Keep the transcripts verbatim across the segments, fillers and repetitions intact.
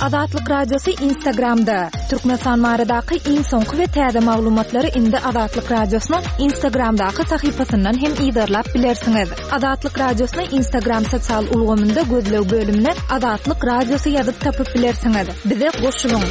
Azatlyk Radiosy Instagramda. Türkmenistan baradaky iň soňky we täze maglumatlary indi Azatlyk Radiosynyň Instagramdaky sahypasyndan hem yzarlap bilersiňiz. Azatlyk Radiosyny Instagram sosial ulgamynda gözleg bölümine Azatlyk Radiosy ýazyp tapyp bilersiňiz. Bize goşulyň.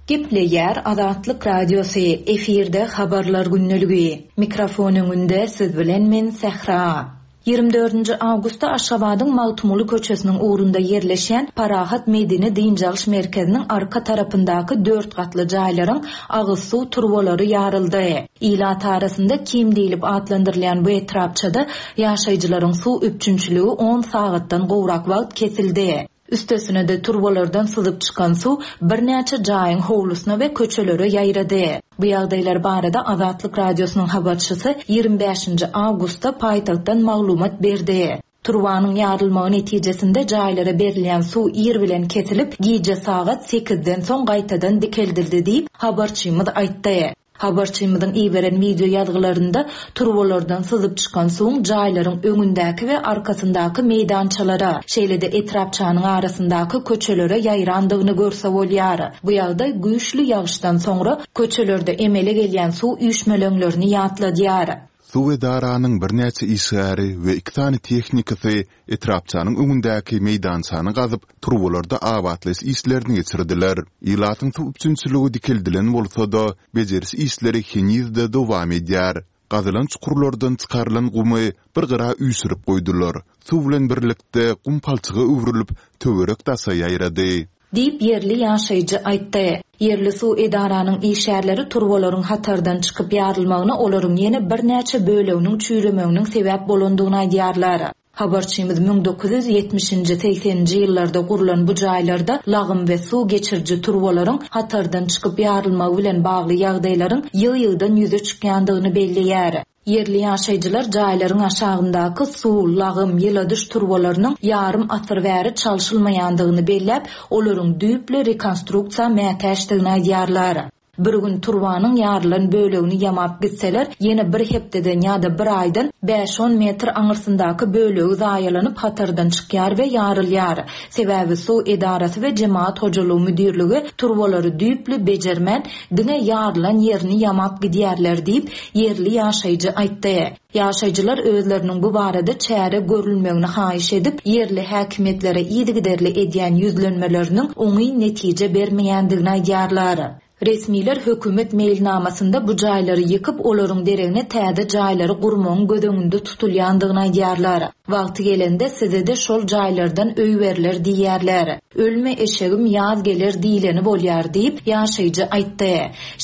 Gepleýär Azatlyk Radiosy, efirde habarlar gündeligi. Mikrofon öňünde siz bilen men Sähra. Ýigrimi dördünji awgustda Aşgabadyň Magtymguly köçesiniň ugrunda ýerleşýän Parahat medeni dynç alyş merkeziniň arka tarapyndaky dört gatly jaýlaryň agyz suw turbalary ýaryldy. Ilat arasynda Kim diýlip atlandyrylýan bu etrapçada ýaşaýjylaryň suw üpjünçiligi on sagatdan gowrak wagt kesildi. Üstesine-de turbalardan syzyp çykan suw birnäçe jaýyň howlusyna we köçelere ýaýrady. Bu ýagdaýlar barada Azatlyk Radiosynyň habarçysy ýigrimi bäşinji awgustda paýtagtdan maglumat berdi. Turbanyň ýarylmagy netijesinde jaýlara berilýän suw ir bilen kesilip, gije sagat sekizden soň gaýtadan dikeldildi diýip, habarçymyz aýtdy. Habarçymyzyň iberen wideo ýazgylarynda turbalardan syzyp çykan suwuň jaýlaryň öňündäki we arkasyndaky meýdançalara, şeýle-de etrapçanyň arasyndaky köçelere ýaýrandygyny görse bolýar. Bu ýagdaý güýçli ýagyşdan soňra köçelerde emele gelýän suw üýşmeleňlerini ýatladýar. Suw edaranyň birnäçe işgäri we iki sany tehnikasy etrapçanyň öňündäki meýdançany gazyp, turbalarda abatlaýyş işlerini geçirdiler. Ilatyň suw üpjünçiligi dikeldilen bolsa-da, bejeriş işleri heniz-de dowam edýär. Gazylan çukurlardan çykarylan gumy bir gyra üýşürip goýdular. Suw bilen birlikde gum palçyga öwrülip, töwerek-daşa ýaýrady. Diýip, ýerli ýaşaýjy aýtdy. Ýerli suw edaranyň işgärleri turbalaryň hatardan çykyp ýarylmagyna olaryň ýene birnäçe böleginiň çüýremeginiň sebäp bolandygyny aýdýarlar. Habarçymyz müň dokuz ýüz ýetmişinji, segseninji ýyllarda gurlan bu jaýlarda lagym we suw geçiriji turbalaryň hatardan çykyp ýarylmagy bilen bagly ýagdaýlaryň ýygy-ýygydan ýüze çykýandygyny belleýär. Ýerli ýaşaýjylar jaýlaryň aşagyndaky suw, lagym, ýyladyş turbalarynyň ýarym asyr bäri çalşylmaýandygyny belläp, olaryň düýpli rekonstruksiýa mätäçdigini aýdýarlar. Bir gün turbanyň ýarylan bölegini ýamap gitseler, ýene bir hepdeden ýa-da bir aýdan bäş-on metr aňyrsyndaky bölegi zaýalanyp hatardan çykýar we ýarylýar. Sebäbi suw edarasy we jemaat hojalygy müdirligi turbalary düýpli bejermän, diňe ýarylan ýerini ýamap gidýärler diýip, ýerli ýaşaýjy aýtdy. Ýaşaýjylar özleriniň bu barada çäre görülmegini haýyş edip, ýerli häkimiýetlere yzygiderli edýän ýüzlenmeleriniň oňyn netije bermeýändigini aýdýarlar. Resmiler hökümet meýilnamasynda bu jaýlary ýykyp, olaryň deregine täze jaýlary gurmagyň göz öňünde tutulýandygyny aýdýarlar. Wagty gelende size-de şol jaýlardan öý berler diýýärler. Ölme eşegim ýaz geler diýleni bolýar diýip, ýaşaýjy aýtdy.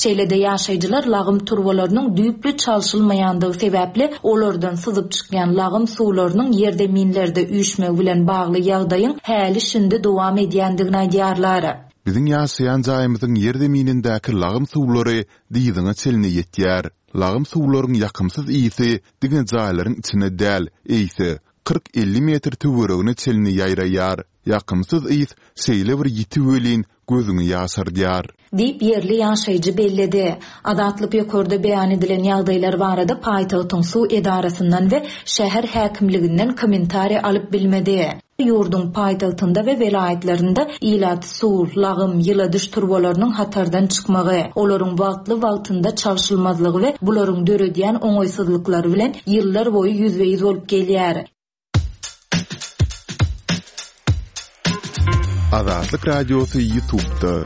Şeýle-de ýaşaýjylar lagym turbalarynyň düýpli çalşylmaýandygy sebäpli olardan syzyp çykýan lagym suwlarynyň ýerzeminlerde üýşmegi bilen bagly ýagdaýyň häli şindi dowam edýändigini aýdýarlar. Biziň ýaşaýan jaýymyzyň ýerzeminindäki lagym suwlary dyzyňa çenli ýetýär. Lagym suwlaryň ýakymsyz ysy diňe jaýlaryň içine däl, eýse kyrk-elli metr töweregine çenli ýaýraýar. Ýakymsyz ys şeýle bir ýiti welin gözüňi ýaşardýar. Diýip, ýerli ýaşaýjy belledi. Azatlyk ýokarda beýan edilen ýagdaýlar barada paýtagtyň suw edarasyndan we şäher häkimliginden kommentariýa alyp bilmedi. Ýurduň paýtagtynda we welaýatlarynda ilat suw, lagym, ýyladyş turbalarynyň hatardan çykmagy, olaryň wagtly-wagtynda çalşylmazlygy we bularyň döredýän oňaýsyzlyklary bilen ýyllar boýy ýüzbe-ýüz bolup gelýär. Azatlyk Radiosy YouTube'da.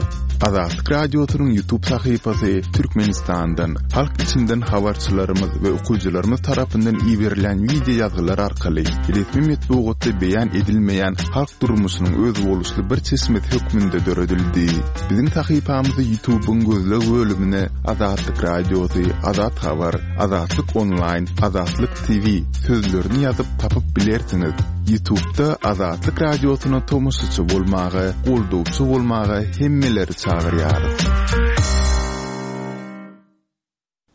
Azatlyk Radiosynyň YouTube sahypasy Türkmenistandan, halk içinden habarçylarymyz we okyjylarymyz tarapyndan iberilen wideo ýazgylar arkaly resmi metbugatda beýan edilmeýän halk durmuşynyň özboluşly bir çeşmesi hökmünde döredildi. Biziň sahypamyzy YouTube'yň gözleg bölümine Azatlyk Radiosy, Azat Habar, Azatlyk Onlaýn, Azatlyk T V sözlerini ýazyp tapyp bilersiňiz. YouTube'da Azatlyk Radiosyna tomaşaçy bolmaga, goldawçy bolmaga hemmeleri çagyrýarys.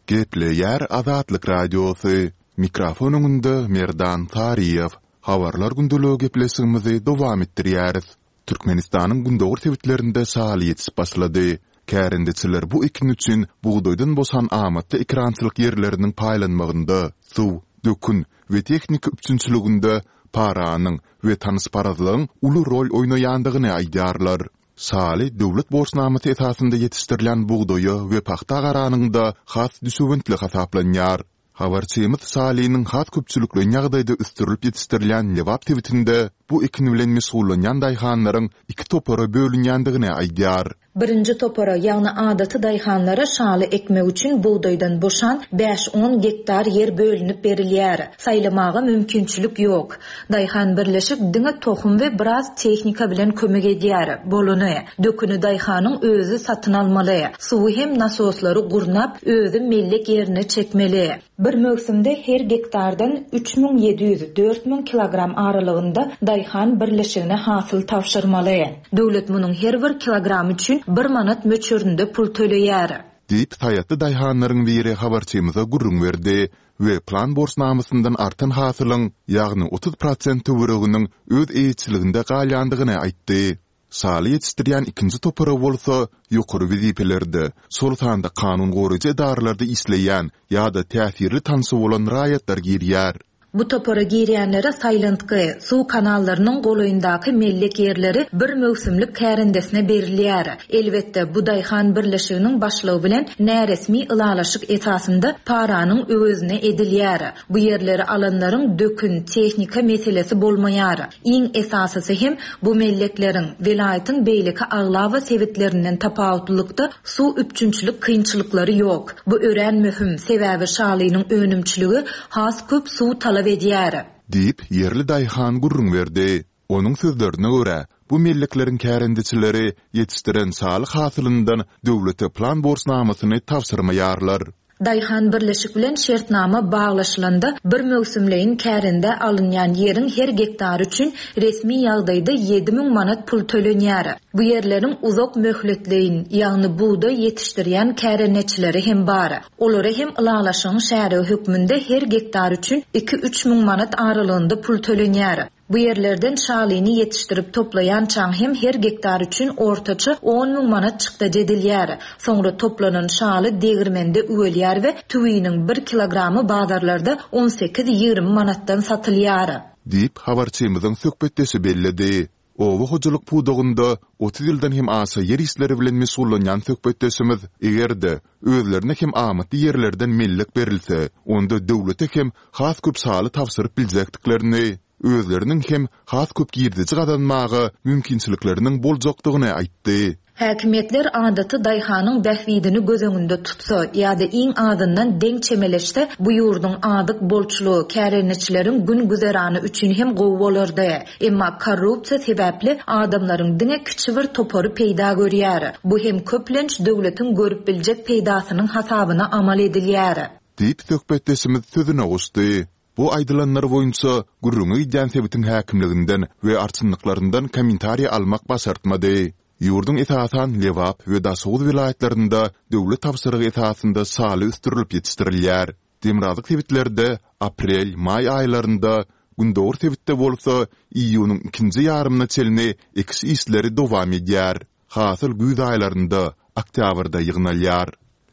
Gepleýär Azatlyk Radiosy. Mikrofon öňünde Merdan Saryýew. Habarlar gündeligi gepleşigimizi dowam etdirýäris. Türkmenistanyň gündogar sebitlerinde şaly ýetişip başlady. Kärendeçiler bu ekin üçin bugdaýdan boşan amatly ekerançylyk ýerleriniň paýlanmagynda, suw, dökün we tehnika üpjünçiliginde paranyň we tanyşparazlygyň uly rol oýnaýandygyny aýdýarlar. Şaly döwlet borçnamasy esasynda ýetişdirilýän bugdaýa we pagta garanyňda has düşewüntli hasaplanýar. Habarçymyz şalynyň has köpçülikleýin ýagdaýda ösdürilip ýetişdirilýän Lebap sebitinde bu ekin bilen meşgullanýan daýhanlaryň iki topara bölünýändigini aýdýar. Birinji topara, ýagny adaty daýhanlara şaly ekmek üçin bugdaýdan boşan bäş-on gektar ýer bölünip berilýär. Saýlamaga mümkinçilik ýok. Daýhan birleşik diňe tohum we biraz tehnika bilen kömek edýär. Bolany. Döküni daýhanyň özi satyn almaly. Suwy hem nasoslary gurnap, özi mellek ýerine çekmeli. Bir möwsümde her gektardan üç müň ýedi ýüz, dört müň kilogram aralygynda daýhan birleşigine hasyl tabşyrmaly. Döwlet munuň her bir kilogramy üçin bir manat möçberinde pul töleýär. Diýip, saýatly daýhanlaryň biri habarçymyza gürrüň berdi we plan borçnamasyndan artan hasylyň, ýagny otuz prosent töwereginiň öz eýeçiliginde galýandygyny aýtdy. Şaly ýetişdirýän ikinji topara bolsa ýokary wezipelerde, şol sanda kanun goraýjy edaralarda işleýän ýa-da täsirli tanşy bolan raýatlar girýär. Bu topara girýänlere saýlantgy, suw kanallarynyň golaýyndaky mellek ýerleri bir möwsümlik kärendesine berilýär. Elbetde, bu daýhan birleşiginiň başlygy bilen näresmi ylalaşyk esasynda paranyň öwezine edilýär. Bu ýerleri alanlaryň dökün, tehnika meselesi bolmaýar. Iň esasysy hem bu mellekleriň welaýatyň beýleki aglaba sebitlerinden tapawutlylykda suw üpjünçilik kynçylyklary ýok. Bu örän möhüm, sebäbi şalynyň önümçiligi has köp suw talap edýär. Diýip, ýerli daýhan gürrüň berdi. Onuň sözlerine görä, bu mellekleriň kärendeçileri ýetişdiren şaly hasylyndan döwlete plan borçnamasyny tabşyrmaýarlar. Daýhan birleşik bilen şertnama baglaşylanda bir möwsümleýin kärendä alynýan ýeriň her gektary üçin resmi ýagdaýda ýedi müň manat pul tölenýär. Bu ýerleriň uzak möhletleýin, ýagny bugdaý ýetişdirýän kärendeçileri hem bar. Olara hem ylalaşygyň şärigi hökmünde her gektar üçin iki-üç müň manat aralygynda pul tölenýär. Bu ýerlerden şalyny ýetişdirip toplaýançaň hem her gektar üçin ortaça on müň manat çykdajy edilýär. Soňra toplanan şaly degirmende üwelýär we tüwiniň bir kilogramy bazarlarda on sekiz-ýigrimi manatdan satylýar. Diýip, habarçymyzyň söhbetdeşi belledi. Oba hojalyk pudagynda otuz ýyldan hem aşa ýer işleri bilen meşgullanýan söhbetdeşimiz eger-de özlerine hem amatly ýerlerden mellek berilse, onda döwlete hem has köp şaly tabşyryp biljekdiklerini, özleriniň hem has köp girdeji gazanmaga mümkinçilikleriniň boljakdygyny aýtdy. Häkimiýetler adaty daýhanyň bähbidini göz öňünde tutsa ýa-da iň azyndan deň çemeleşse, bu ýurduň azyk bolçulygy, kärendeçileriň gün güzerany üçin hem gowy bolardy. Emma korrupsiýa sebäpli adamlaryň diňe kiçi bir topary peýda görýär. Bu hem köplenç döwletiň görüp biljek peýdasynyň hasabyna amal edilýär. Diýip, söhbetdeşimiz sözüne goşdy. Bu aýdylanlar boýunça gürrüňi gidýän sebitiň häkimliginden we arçynlyklaryndan kommentariý almak başartmady. Ýurduň esasan Lebap we Daşoguz welaýatlarynda döwlet tabşyrygy esasynda şaly ösdürilip ýetişdirilýär. Demirgazyk sebitlerde aprel, maý aýlarynda, gündogar sebitde bolsa iýunyň ikinji ýarymyna çenli ekiş işleri dowam edýär. Hasyl güýz aýlarynda, oktýabrda ýygnalýar.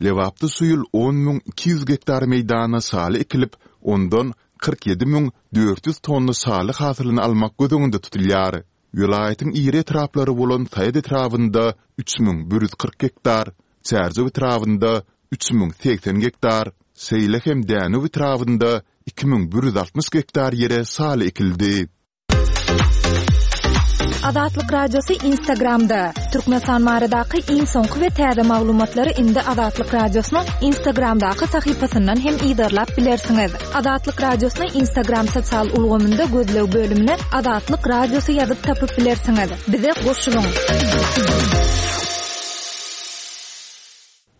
Lebapda şu ýyl on müň iki ýüz gektar meýdana şaly ekilip, ondan kyrk ýedi müň dört ýüz tonna şaly hasylyny almak göz öňünde tutulýar. Welaýatyň iri etraplary bolan Saýat etrabynda üç müň bir ýüz kyrk gektar, Çärjew etrabynda üç müň segsen gektar, şeýle hem Dänew etrabynda iki müň bir ýüz altmyş gektar ýere şaly ekildi. Azatlyk Radiosy Instagramda. Türkmenistan baradaky iň soňky we täze maglumatlary indi Azatlyk Radiosynyň Instagramdaky sahypasyndan hem yzarlap bilersiňiz. Azatlyk Radiosyny Instagram sosial ulgamynda gözleg bölümine Azatlyk Radiosy ýazyp tapyp bilersiňiz. Bize goşulyň.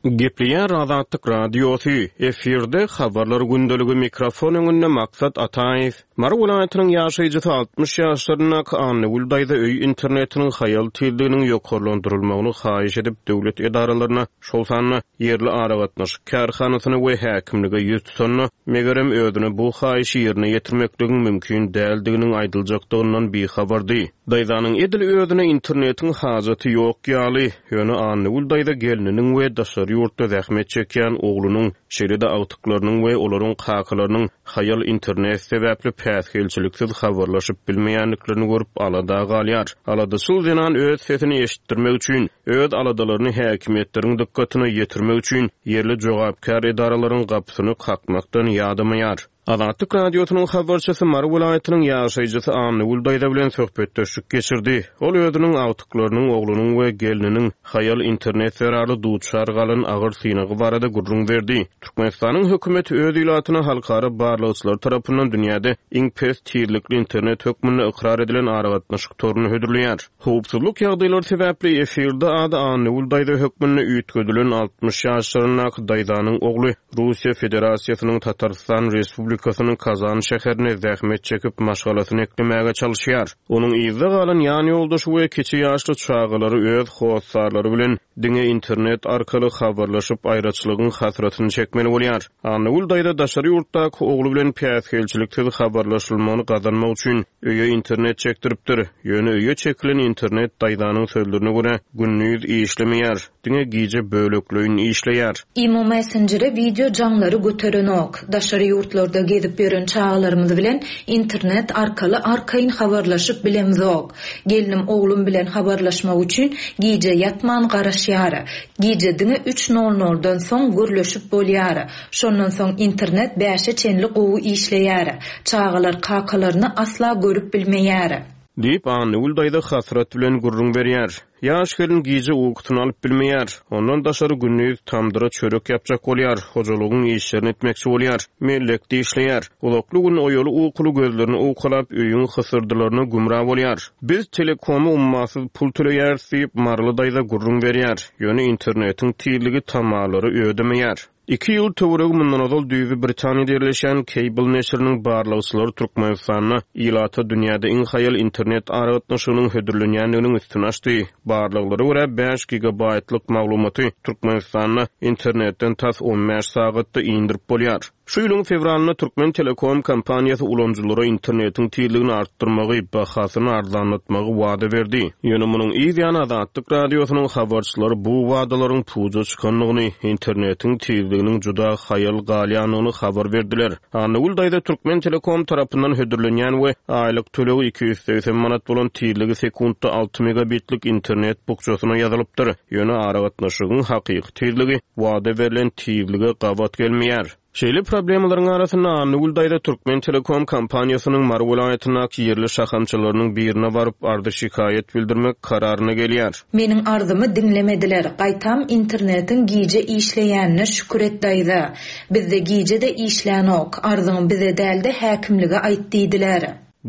Gepleýär Azatlyk Radiosy, efirde habarlar gündeligi, mikrofon öňünde Maksat Ataýew. Mary welaýatynyň ýaşaýjysy altmyş ýaşlaryndaky Annagül daýza öý internetiniň haýal tizliginiň ýokarlandyrylmagyny haýyş edip, döwlet edaralaryna, şol sanda ýerli aragatnaşyk kärhanasyna we häkimlige ýüz tutanda, megerem özüne bu haýyşy ýerine ýetirmekligiň mümkin däldiginiň aýdyljakdygyndan bihabardy. Daýzanyň edil özüne internetiň hajaty ýok ýaly, ýöne Annagül daýza gelniniň we daşary ýurtda zähmet çekýän oglunyň, şeýle-de agtyklarynyň we olaryň kakalarynyň haýal internet sebäpli päsgelçiliksiz habarlaşyp bilmeýändiklerini görüp alada galýar. Aladaçyl zenan öz sesini eşitdirmek üçin, öz aladalaryny häkimiýetleriň dykgatyna ýetirmek üçin ýerli jogapkär edaralaryň gapysyny kakmakdan ýadamaýar. Azatlyk Radiosynyň habarçysy Mary welaýatynyň ýaşaýjysy Annagül daýza bilen söhbetdeşlik geçirdi. Ol özüniň agtyklarynyň, oglunyň we gelniniň haýal internet zerarly duçar galan agyr synagy barada gürrüň berdi. Türkmenistanyň hökümeti öz ilatyna halkara barlagçylar tarapyndan dünýäde iň pes tizlikli internet hökmünde ykrar edilen aragatnaşyk toruny hödürleýär. Howpsuzlyk ýagdaýlary sebäpli efirde ady Annagül daýza hökmünde üýtgedilen altmyş ýaşlaryndaky daýzanyň ogly Russiýa Federasiýasynyň Tatarstan Respublikasynyň Kazan şäherine zähmet çekip maşgalasyny eklemäge çalışýar. Onuň yzda galan ýan ýoldaşy we kiçi ýaşly çagalary öz hossarlary bilen diňe internet arkaly habarlaşyp aýraçylygyň hasratyny çekmeli bolýar. Annagül daýza daşary ýurtdaky ogly bilen päsgelçiliksiz habarlaşylmagyny gazanmak üçin öýe internet çekdiripdir. Ýöne öýe çekilen internet daýzanyň sözlerine görä gündiz işlemeýär, diňe gije bölekleýin işleýär. Imo Messenger'e video jaňlary göterenok. Daşary ýurtlarda gezip ýören çagalarymyz bilen internet arkaly arkaýyn habarlaşyp bilemzok. Gelnim oglum bilen habarlaşmak üçin gije ýatman garaşýar. Gije diňe üç nol noldan soň gürleşip bolýar. Şondan soň internet bäşe çenli gowy işleýär. Çagalar kakalaryny asla görüp bilmeýär. Diýip Annagül daýza hasrat bilen gürrüň berýär. Ýaş gelin gije ukusyny alyp bilmeýär. Ondan daşary gündiz tamdyra çörek ýapjak bolýar, hojalygyň işlerini etmekçi bolýar, mellekde işleýär. Uzakly gün oýaly ukuly gözlerini owkalap öýüň hysyrdylaryna gümra bolýar. Biz telekomy ummasyz pul töleýäris diýip Maryly daýza gürrüň berýär. Ýöne internetiň tizligi tamalary ödemeýär. Iki ýyl töweregi mundan ozal düýbi Britaniýada ýerleşen Cable neşiriniň barlagçylary Türkmenistanda ilata dünýäde iň haýal internet aragatnaşygynyň hödürlenýändiginiň üstüni açdy. Barlaglara görä bäş gigabaytlyk maglumaty Türkmenistanda internetden tas on bäş sagatda indirip bolýar. Şu ýylyň fewralynda Türkmen Telekom kompaniýasy ulanyjylara internetiň tizligini artdyrmagy, bahasyny arzanlatmagy wada berdi. Ýöne munuň yz ýany Azatlyk Radiosynyň habarçylary bu wadalaryň puja çykandygyny, internetiň tizliginiň juda haýal galýandygyny habar berdiler. Annagül daýza Türkmen Telekom tarapyndan hödürlenýän we aýlyk tölegi iki ýüz segsen manat bolan tizligi sekuntda alty megabitlik internet bukjasyna ýazylypdyr. Ýöne aragatnaşygyň hakyky tizligi wada berlen tizlige gabat gelmeýär. Şeýle problemalaryň arasynda Annagül daýza Türkmen Telekom kompaniýasynyň Mary welaýatyndaky ýerli şahamçalarynyň birine baryp ardy şikaýat bildirmek kararyna gelýär. Meniň arzymy diňlemediler. Gaýtam internetiň gije işleýänine şükür et daýza. Bizde gije de işlänok. Arzyňy bize dälde häkimlige aýt diýdiler.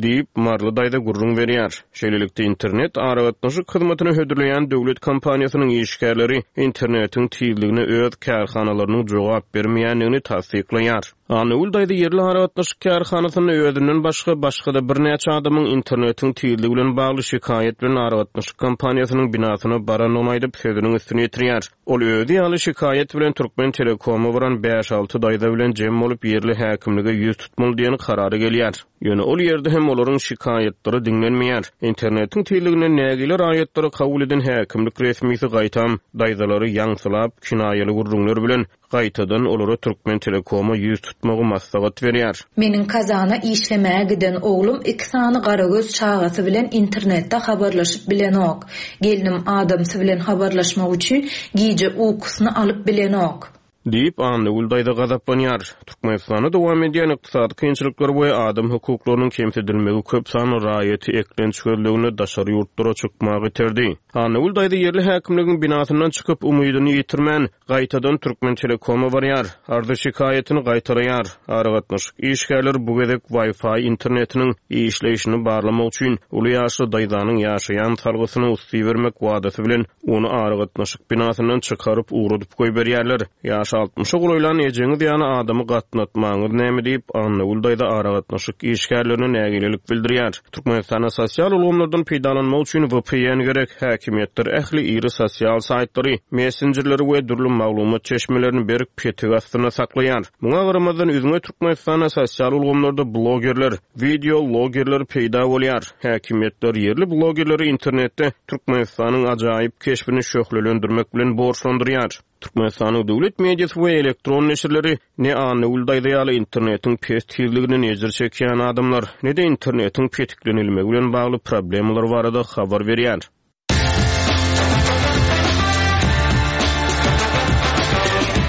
Diýip Maryly daýza gürrüň berýär. Şeýlelikde internet aragatnaşyk hyzmatyny hödürleýän döwlet kompaniýasynyň işgärleri internetiň tizligine öz kärhanalarynyň jogap bermeýändigini tassyklaýar. Annagül daýza ýerli aragatnaşyk kärhanasynda özünden başga başga-da birnäçe adamyň internetiň tizligi bilen bagly şikaýat bilen aragatnaşyk kompaniýasynyň binasyna barandygyny aýdyp sözüniň üstüne ýetirýär. Ol özi ýaly şikaýat bilen Türkmen Telekoma baran bäş-alty daýza bilen jem bolup ýerli häkimlige ýüz tutmaly diýen karara gelýär. Ýöne ol ýerde hem olaryň şikaýatlary diňlenmeýär. Internetiň tizliginden nägile raýatlary kabul eden häkimlik resmisi gaýtam daýzalary ýaňsylap kinaýaly gürrüňler bilen gaýtadan olara Türkmen Telekoma ýüz tutmagy maslahat berýär. Meniň Kazana işlemäge giden oglum iki sany garagöz çagasy bilen internetde habarlaşyp bilenok. Gelnim adamsy bilen habarlaşmak üçin gije ukusyny alyp bilenok. Diýip Annagül daýza gazaplanýar. Türkmenistanda dowam edýän ykdysady kynçylyklar we adam hukuklarynyň kemsidilmegi köp sanly raýaty eklenç gözleginde daşary ýurtlara çykmagy iterdi. Annagül daýza ýerli häkimligiň binasyndan çykyp umydyny ýitirmän gaýtadan Türkmen Telekoma barýar. Arzy şikaýatyny gaýtalaýar. Aragatnaşyk işgärleri bu gezek Wi-Fi internetiniň işleýşini barlamak üçin uly ýaşly daýzanyň ýaşaýan salgysyny usty bermek wadasy bilen ony aragatnaşyk binasyndan çykaryp ugradyp goýberýärler. Ýaş Ýaşy altmyşa golaýlan ejeňiz ýaly adamy gatnatmaňyz näme diýip, Annagül daýza aragatnaşyk işgärlerine nägilelik bildirýär. Türkmenistanda sosial ulgamlardan peýdalanmak üçin V P N gerek. Häkimiýetler ähli iri sosial saýtlary, messenjerleri we dürli maglumat çeşmelerini berk petik astynda saklaýar. Muňa garamazdan üzňe Türkmenistanda sosial ulgamlarda blogerler, video blogerler peýda bolýar. Häkimiýetler ýerli blogerleri internetde Türkmenistanyň ajaýyp keşbini şöhlelendirmek bilen borçlandyrýar. Türkmenistanyň döwlet mediasy we elektron neşirleri ne Annagül daýza ýaly internetiň pes tizliginden ejir çekýän adamlar, ne de internetiň petiklenilmegi bilen bagly problemalar barada habar berýär.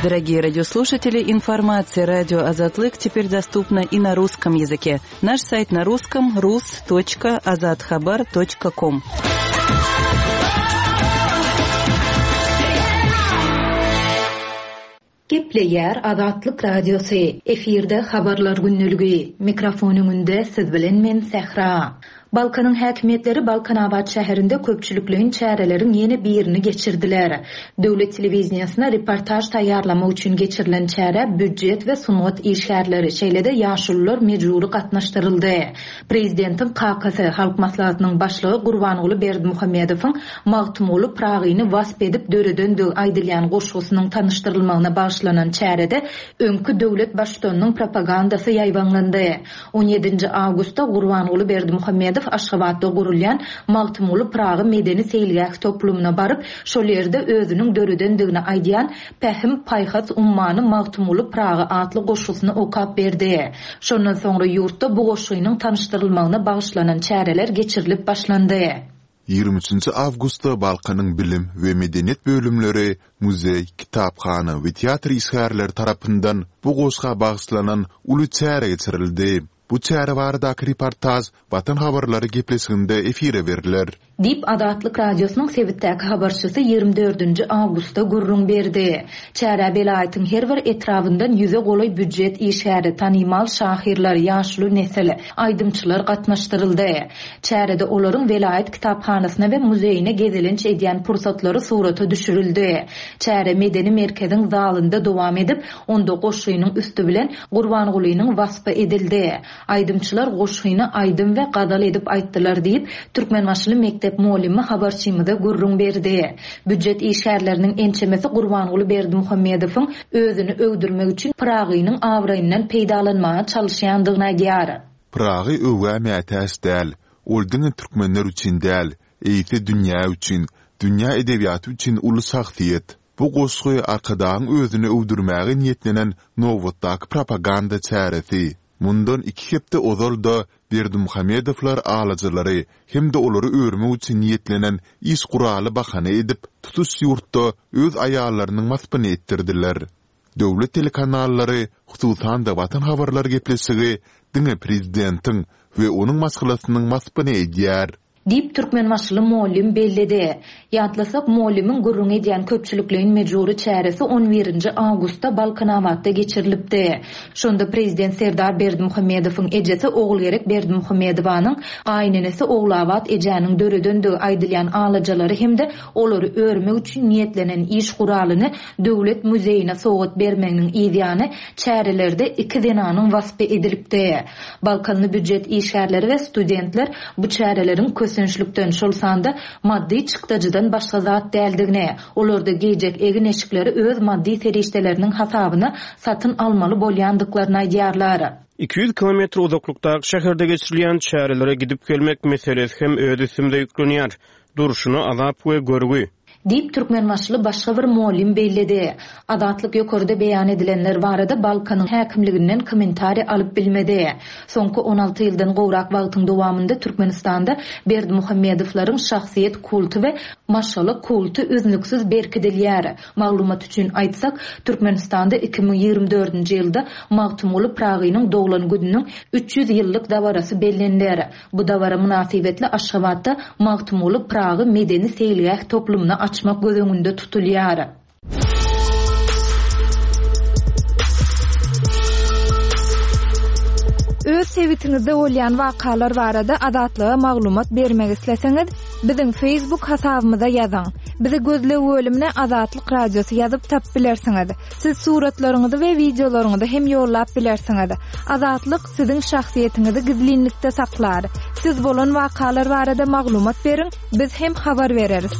Дорогие радиослушатели, информация радио Азатлык теперь доступна и на русском языке. Наш сайт на русском rus точка azathabar точка com. Gepleýär Azatlyk Radiosy. Efirde habarlar gündeligi. Mikrofon öňünde siz bilen men Sähra. Balkanyň häkimiýetleri Balkanabat şäherinde köpçülikleýin çäreleriň ýene birini geçirdiler. Döwlet telewizýasyna reportaj taýýarlamak üçin geçirilen çäre býujet we sungat işgärleri, şeýle-de ýaşulular mejbury gatnaşdyryldy. Prezidentiň kakasy, Halk Maslahatynyň başlygy Gurbanguly Berdimuhamedowyň Magtymguly Pyragyny wasp edip döredendigi aýdylýan goşgusynyň tanyşdyrylmagyna bagyşlanan çärede öňki döwlet baştutanynyň propagandasy ýaýbaňlandy. on ýedinji awgustda Gurbanguly Berdimuhamedow Aşgabatda gurulýan Magtymguly Pyragy medeni seýilgäh toplumyna baryp, şol ýerde özüniň döredendigini aýdýan Pähim paýhas ummany Magtymguly Pyragy atly goşgusyny okap berdi. Şondan soňra ýurtda bu goşgynyň tanyşdyrylmagyna bagyşlanan çäreler geçirilip başlandy. ýigrimi üçünji awgustda Balkanyň bilim we medeniýet bölümleri, muzeý, kitaphana we teatr işgärleri tarapyndan bu goşga bagyşlanan uly çäre geçirildi. Bu çäre baradaky reportaj Watan habarlary gepleşiginde efire beriler. Diýip, Azatlyk Radiosynyň sebitdäki habarçysy ýigrimi dördünji awgustda gürrüň berdi. Çärä welaýatyň her bir etrabyndan ýüze golaý býujet işgäri, tanymal şahyrlar, ýaşuly nesil, aýdymçylar gatnaşdyryldy. Çärede olaryň welaýat kitaphanasyna we muzeýine gezelenç edýän pursatlary surata düşürildi. Çäre medeni merkeziň zalynda dowam edip, onda goşgynyň üsti bilen Gurbangulynyň waspy edildi. Aýdymçylar goşgyny aýdym we gazal edip aýtdylar diýip, Türkmenbaşyly mekdep mugallymy habarçymyza gürrüň berdi. Býujet işgärleriniň ençemesi Gurbanguly Berdimuhamedowyň özüni öwdürmek üçin Pyragynyň abraýyndan peýdalanmaga çalyşýandygyny aýdýar. Pyragy öwgä mätäç däl. Ol diňe türkmenler üçin däl, eýse dünýä üçin, dünýä edebiýaty üçin uly şahsyýet. Bu goşgy Arkadagyň özüni öwdürmäge niýetlenen nobatdaky propaganda çäresi. Mundan iki hepde ozal-da Berdimuhamedowlar alajalary hem-de olary örmek üçin niýetlenen iş guraly bahana edip, tutuş ýurtda öz aýallarynyň waspyny etdirdiler. Döwlet telekanallary, hususan-da Watan habarlar gepleşigi diňe prezidentiň we onuň maşgalasynyň waspyny edýär. Diýip, Türkmenbaşyly mugallym belledi. Ýatlasak, mugallymyň gürrüň edýän köpçülikleýin mejbury çäresi on birinji awgustda Balkanabatda geçirilipdi. Şonda prezident Serdar Berdimuhamedowyň ejesi Ogulgerek Berdimuhamedowanyň gaýynenesi Ogulabat ejäniň döredendigi aýdylýan alajalary hem-de olary örmek üçin niýetlenen iş guralyny döwlet muzeýine sowgat bermeginiň yzýany çärelerde iki zenanyň waspy edilipdi. Balkanly býujet işgärleri we studentler bu çäreleriň kösençlikden, şol sanda maddy çykdajydan başga zat däldigini, olarda geýjek egin-eşikleri öz maddy serişdeleriniň hasabyna satyn almaly bolýandyklaryny aýdýarlar. iki ýüz kilometr uzaklykdaky şäherde geçirilýän çärelere gidip gelmek meselesi hem öz üstümize ýüklenýär. Durşuna azap we görgi. Diýip, Türkmenbaşyly başga bir mugallym belledi. Azatlyk ýokarda beýan edilenler barada Balkanyň häkimliginden kommentariý alyp bilmedi. Soňky on alty ýyldan gowrak wagtyň dowamynda Türkmenistanda Berdimuhamedowlaryň şahsyýet kulty we maşgala kulty üznüksiz berkidilýär. Maglumat üçin aýtsak, Türkmenistanda iki müň ýigrimi dördünji ýylda Magtymguly Pyragynyň doglan gününiň üç ýüz ýyllyk dabarasy belleniler. Bu dabara mynasybetli Aşgabatda Magtymguly Pyragy medeni seýilgäh toplumyny açmak göz öňünde tutulýar. Öz sebitiňizde bolýan wakalar barada Azatlyga maglumat bermek isleseňiz, biziň Facebook hasabymyza ýazyň. Bizi gözleg bölümine Azatlyk Radiosy ýazyp tapyp bilersiňiz. Siz suratlaryňyzy we wideolaryňyzy hem ýollap bilersiňiz. Azatlyk siziň şahsyýetiňizi gizlinlikde saklar. Siz bolan wakalar barada maglumat beriň, biz hem habar bereris.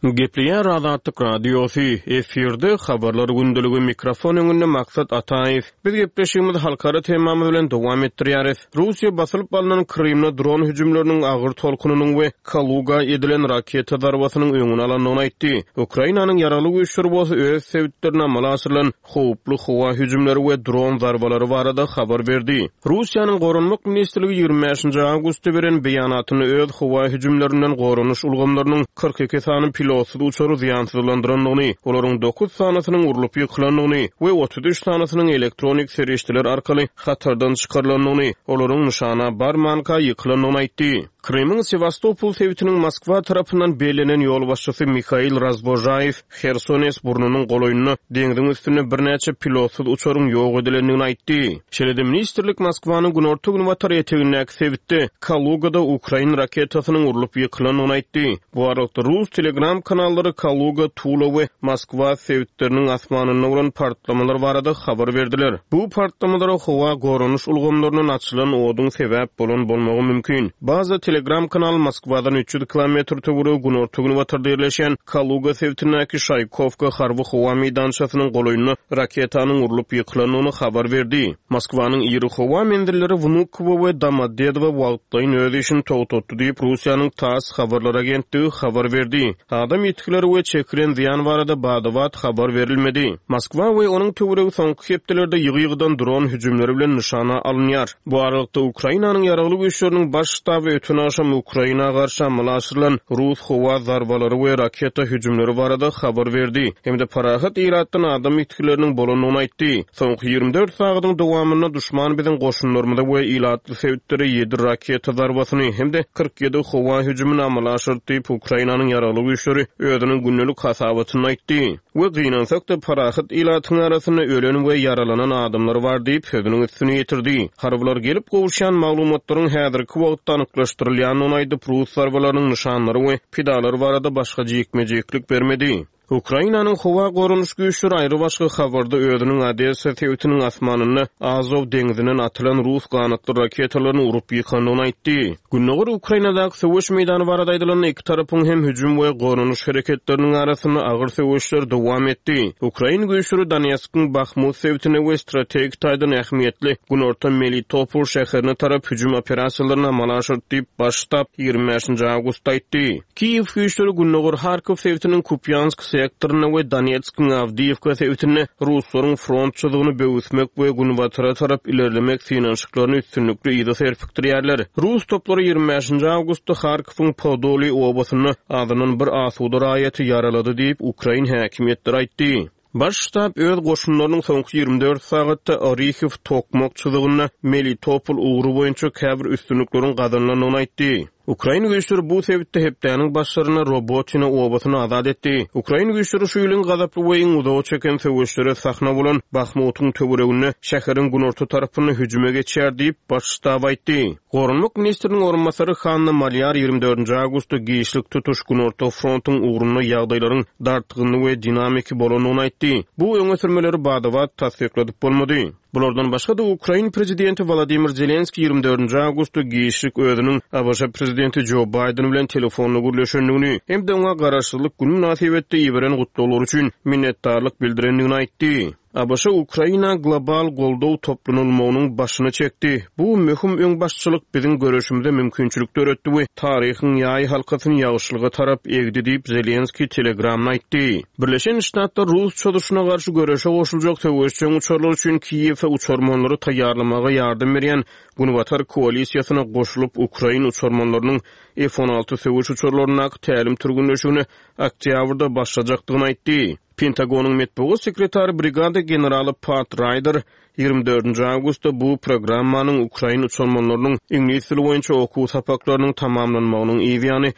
Gepleýär Azatlyk Radiosy, efirde habarlar gündeligi, mikrofon öňünde Maksat Ataýew. Biz gepleşigimizi halkara temamyz bilen dowam etdirýäris. Russiýa basylyp alnan Krymda dron hüjümleriniň agyr tolkunynyň we Kaluga edilen raketa zarbasynyň öňüni alandygyny aýtdy. Ukrainanyň ýaragly güýçleri bolsa öz sebitlerine amala aşyrylan howply howa hüjümleri we dron zarbalary barada habar berdi. Russiýanyň Goranmak ministrligi ýigrimi bäşinji awgustda beren beýanatynda öz howa hüjümlerinden goranyş ulgamlarynyň kyrk iki sany pilotsyz uçary zyýansyzlandyrandygyny, olaryň dokuz sanysynyň urlup ýykylandygyny we otuz üç sanysynyň elektronik serişdeler arkaly hatardan çykarylandygyny, olaryň nyşana barmanka ýykylandygyny aýtdy. Krymyň Sewastopol sebitiniň Moskwa tarapyndan bellenen ýolbaşçysy Mihail Razbožaýew Hersones burnunyň golaýynda deňziň üstünde birnäçe pilotsyz uçaryň ýok edilendigini aýtdy. Şeýle-de ministrlik Moskwanyň günorta-günbatar etegindäki sebitde Kalugada ukrain raketasynyň urlup ýykylandygyny aýtdy. Bu aralykda rus Telegram kanallary Kaluga, Tula we Moskwa sebitleriniň asmanynda bolan partlamalar barada habar berdiler. Bu partlamalara howa goranyş ulgamlaryndan açylan oduň sebäp bolan bolmagy mümkin. Bazı Telegram kanaly Moskwadan üç ýüz kilometr töweregi günorta-günbatarda ýerleşen Kaluga sebitindäki Şaýkowka harby howa meýdançasynyň golaýynda raketanyň urlup ýykylandygyny habar berdi. Moskwanyň iri howa menzilleri Wnukowo we Domodedowo wagtlaýyn öz işini togtatdy diýip Russiýanyň TASS habarlar agentligi habar berdi. Adam ýitgileri we çekilen zyýan barada badabat habar berilmedi. Moskwa we onuň töweregi soňky hepdelerde ýygy-ýygydan dron hüjümleri bilen nyşana alynýar. Bu aralykda Ukrainanyň ýaragly güýçleriniň baş ştaby öten agşam Ukraina garşy amala aşyrylan rus howa zarbalary we raketa hüjümleri barada habar berdi. Hem-de parahat ilatdan adam ýitgileriniň bolandygyny aýtdy. Soňky ýigrimi dört sagadyň dowamynda düşman biziň goşunlarymyza we ilatly sebitlere ýedi raketa zarbasyny hem-de kyrk ýedi howa hüjümini amala aşyrdy diýip Ukrainanyň ýaragly güýçleri özüniň gündelik hasabatyny aýtdy. We gynansak-da parahat ilatyň arasynda ölen we ýaralanan adamlar bar diýip sözüniň üstüne ýetirdi. Harbylar gelip gowuşýan maglumatlaryň häzirki wagtda anyklaşdyrylýandygyny aýdyp, rus zarbalarynyň nyşanlary we pidalary barada başga jikme-jiklik bermedi. Ukrainanyň howa goranyş güýçleri aýry başga habarda özüniň Odessa sebitiniň asmanynda Azow deňzinden atylan rus ganatly raketalaryny urup ýykandygyny aýtdy. Gündogar Ukrainadaky söweş meýdany barada aýdylanda iki tarapyň hem hüjüm we goranyş hereketleriniň arasynda agyr söweşler dowam etdi. Ukrain güýçleri Donetskiň Bahmut sebitine we strategik taýdan ähmiýetli Günorta Melitopol şäherine tarap hüjüm operasiýalaryny amala aşyrdy diýip baş ştab ýigrimi bäşinji awgustda aýtdy. Kiýew güýçleri Gündogar Harkov sebitiniň Kupýansk sektorynda we Donetskiň Awdiýewka sebitinde ruslaryň front çyzygyny böwüsmek we günbatara tarap ilerlemek synanyşyklaryny üstünlikli yza serpikdirýärler. Rus toplary ýigrimi bäşinji awgustda Harkowyň Podoli obasynda azyndan bir asuda raýaty ýaralady diýip Ukrain häkimiýetleri aýtdy. Baş ştab öz goşunlarynyň soňky ýigrimi dört sagatda Orihiw Tokmak çyzygynda Melitopol ugry boýunça käbir üstünlikleriň gazanylandygyny aýtdy. Ukrain güýçleri bu sebitde hepdäniň başlarynda Robotina obasyny azat etdi. Ukrain güýçleri şu ýylyň gazaply we iň uzaga çeken söweşlere sahna bolan Bahmutyň töwereginde şäheriň günorta tarapyny hüjüme geçýär diýip baş ştab aýtdy. Goranmak ministriniň orunbasary Hanna Malýar ýigrimi dördünji awgustda giçlik tutuş günorta frontuň ugrunda ýagdaýlaryň dartgynly we dinamiki bolandygyny aýtdy. Bu öňe sürmeleri badabat tassykladyp bolmady. Bulardan başga da Ukrain prezidenti Wladimir Zelenski ýigrimi dördünji awgustda giçlik özüniň A B Ş prezidenti Joe Biden bilen telefonla gürleşendigini hem-de oňa garaşsyzlyk günü mynasybetli iberen gutlaglar üçin minnetdarlyk bildirendigini aýtdy. A B Ş Ukraina global goldaw toplanylmagynyň başyny çekdi. Bu möhüm öňbaşçylyk biziň görüşimize mümkinçilik döretdi we taryhyň ýaý halkasyny ýagşylyga tarap egdi diýip Zelenski Telegramda aýtdy. Birleşen Ştatlar Rus çozuşyna garşy göreşe goşuljak söweşjeň uçarlar üçin Kiýewe uçarmanlary taýýarlamaga ýardam berýän Günbatar koalisiýasyna goşulyp Ukrain uçarmanlarynyň F on alty söweş uçarlaryndaky tälim türgünleşigine oktýabrda başlajakdygyny aýtdy. Pentagonyň metbugat sekretary brigada generaly Pat Ryder ýigrimi dördünji awgustda bu programmanyň Ukrain uçarmanlarynyň iňlis dili boýunça okuw sapaklarynyň tamamlanmagynyň yzýany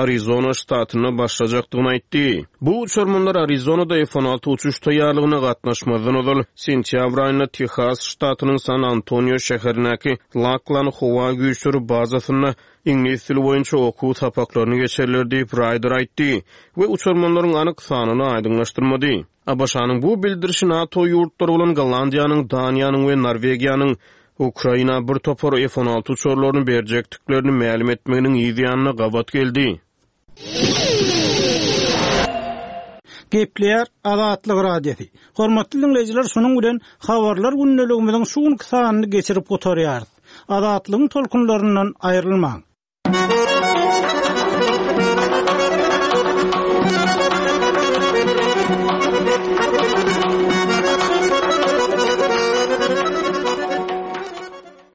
Arizona ştatynda başlajakdygyny aýtdy. Bu uçarmanlar Arizonada F on alty uçuş taýýarlygyna gatnaşmazdan ozal sentýabr aýynda Tehas ştatynyň San Antonio şäherindäki Laklan howa güýçleri bazasynda iňlis dili boýunça okuw sapaklaryny geçerler diýip, Raýder aýtdy we uçarmanlaryň anyk sanyny aýdyňlaşdyrmady. ABŞ-nyň bu bildirişi NATO ýurtlary bolan Gollandiýanyň, Daniýanyň we Norwegiýanyň Ukraina bir topar F on alty uçarlaryny berjekdiklerini mälim etmeginiň yz ýanyna gabat geldi. Gepleýär Azatlyk Radiosy. Hormatly dinleýjiler, şunuň bilen habarlar gündeligimiziň şu günki sanyny geçirip gutarýarys. Azatlygyň tolkunlaryndan aýrylmaň.